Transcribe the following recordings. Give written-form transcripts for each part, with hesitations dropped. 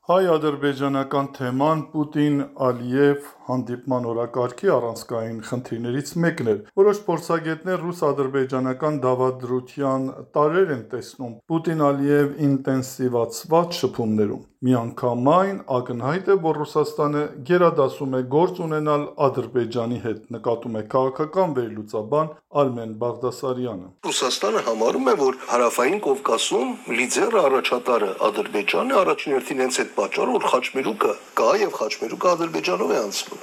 Հայ-ադրբեջանական թեման Պուտին-Ալիև հանդիպման օրակարգի առանցքային խնդիրներից մեկն էր։ Որոշ փորձագետներ ռուս-ադրբեջանական դավադրության տարրեր են տեսնում Պուտին-Ալիև ինտենսիվացված շփումներում։ Միանգամայն ակնհայտ է, որ Ռուսաստանը գերադասում է գործ ունենալ Ադրբեջանի հետ, նկատում է քաղաքական վերլուծաբան Արմեն Բաղդասարյանը։ Ռուսաստանը համարում է, որ Հարավային Կովկասում լիդերը առաջատարը Ադրբեջանն է, առաջին հերթին հենց այդ պատճառը, որ խաչմերուկը կա եւ խաչմերուկը Ադրբեջանով է անցնում։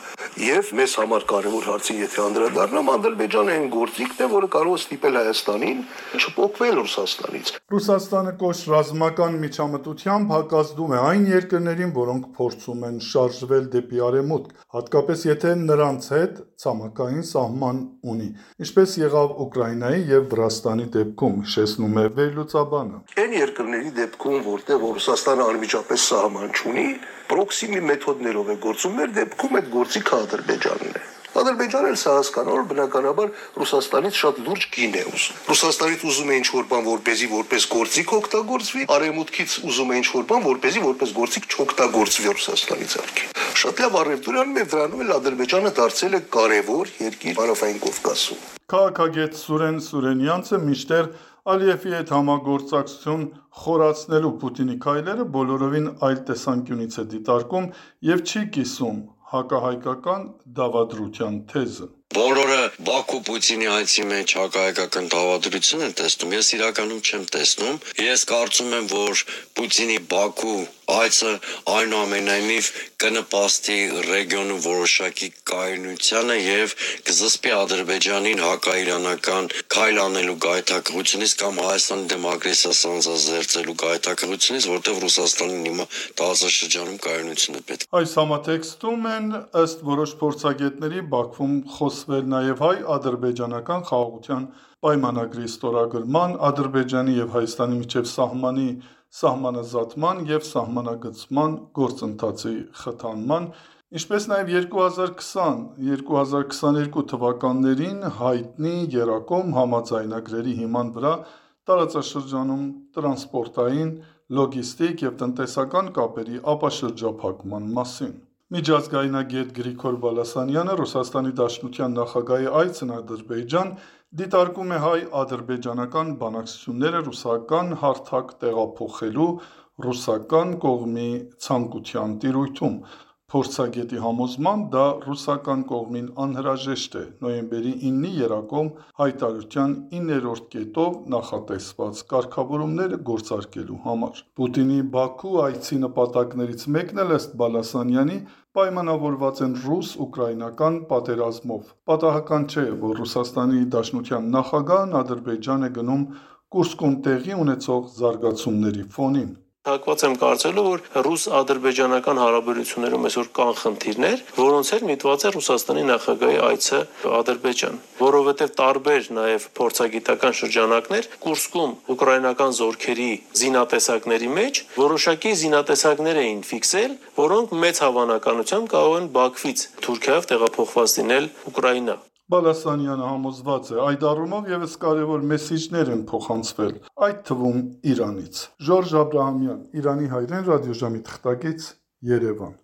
Եվ մեզ համար կարևոր հարցին եթե անդրադառնամ, Ադրբեջանը այն գործիքն է, որը կարող է ստիպել Հայաստանին չփոխվել Ռուսաստանից։ Ռուսաստանը կոշտ ռազմական միջամտությամբ հակազդում է այն երկրներին, որոնք փորձում են շարժվել դեպի արևմուտք, հատկապես եթե նրանց հետ ցամաքային սահման ունի, ինչպես եղավ Ուկրաինայի եւ Վրաստանի դեպքում, հիշեցնում է վերլուծաբանը։ Այն երկրների դեպքում, որտեղ Ռուսաստանը անմիջապես սահման չունի, պրոքսիմի մեթոդներով է գործում, մեր դեպքում այդ գործիքը Ադրբեջանն է։ Ադրբեջանը էլ սա հասկանալ, որ բնականաբար Ռուսաստանից շատ լուրջ գին է ուզում։ Ռուսաստանից ուզում է ինչ-որ բան, որպեսզի որպես գործիք օգտագործվի, արևմուտքից ուզում է ինչ-որ բան, որպեսզի որպես գործիք չօգտագործվի Ռուսաստանից արքի։ Շատ լավ առևտուրանում եւ դրանում էլ Ադրբեջանը դարձել է կարևոր երկիր Հարավային Կովկասում։ Քաղաքագետ Սուրեն Սուրենյանցը մինչդեռ Ալիևի հետ համագործակցություն խորացնելու Պուտինի քայլերը բոլորովին այլ տեսանկյունից է դիտարկում եւ չի կիսում հակահայկական դավադրության թեզը։ Բոլորը Բաքու-Պուտինի այցի մեջ հակահայկական դավադրություն են տեսնում, ես իրականում չեմ տեսնում։ Ես կարծում եմ, որ Պուտինի Բաքու այցը այնուամենայնիվ կնպաստի ռեգիոնում որոշակի կայունությանը եւ կզսպի Ադրբեջանին հակաիրանական քայլ անելու գայթակղությունից կամ Հայաստանի դեմ ագրեսիա սանձազերծելու գայթակղությունից, որտեղ Ռուսաստանին հիմա տարածաշրջանում կայունություն է պետք։ Այս համատեքստում են ըստ որոշ փորձագետների Բաքվում խոսվել նաև հայ-ադրբեջանական խաղաղության պայմանագրի ստորագրման, Ադրբեջանի եւ Հայաստանի միջև սահմանազատման եւ սահմանագծման գործընթացի խթանման, ինչպես նաև 2020-2022 թվականներին հայտնի Երակոմ համաձայնագրերի հիման վրա տարածաշրջանում տրանսպորտային, լոգիստիկ եւ տնտեսական կապերի ապաշրջափակման մասին։ Միջազգայնագետ Գրիգոր Բալասանյանը Ռուսաստանի Դաշնության նախագահի այցն Ադրբեջան դիտարկում է հայ-ադրբեջանական բանակցությունները ռուսական հարթակ տեղափոխելու ռուսական կողմի ցանկության տիրույթում։ Փորձագետի համոզմամբ դա ռուսական կողմին անհրաժեշտ է նոյեմբերի 9-ի Երակոմ հայտարարության 9-րդ կետով նախատեսված կարգավորումները գործարկելու համար։ Պուտինի Բաքու այցի նպատակներից մեկն էլ ըստ Բալասանյանի պայմանավորված են ռուս-ուկրաինական պատերազմով։ Պատահական չէ, որ Ռուսաստանի Դաշնության նախագահն Ադրբեջան է գնում Կուրսկում տեղի ունեցող զարգացումների ֆոնին։ Հակված եմ կարծելու, որ ռուս-ադրբեջանական հարաբերություններում այսօր կան խնդիրներ, որոնց հետ միտված է Ռուսաստանի նախագահի այցը Ադրբեջան, որովհետև տարբեր նաև փորձագիտական շրջանակներ Կուրսկում ուկրաինական զորքերի զինատեսակների մեջ որոշակի զինատեսակներ էին ֆիքսել, որոնք մեծ հավանականությամբ կարող են Բաքվից Թուրքիայով տեղափոխված լինել Ուկրաինա։ Բալասանյանը համոզված է, այդ առումով ևս կարևոր մեսիջներ են փոխանցվել, այդ թվում Իրանից։ Ժորժ Աբրահամյան, Իրանի հայրեն ռադիոժամի թղթակից, Երևան։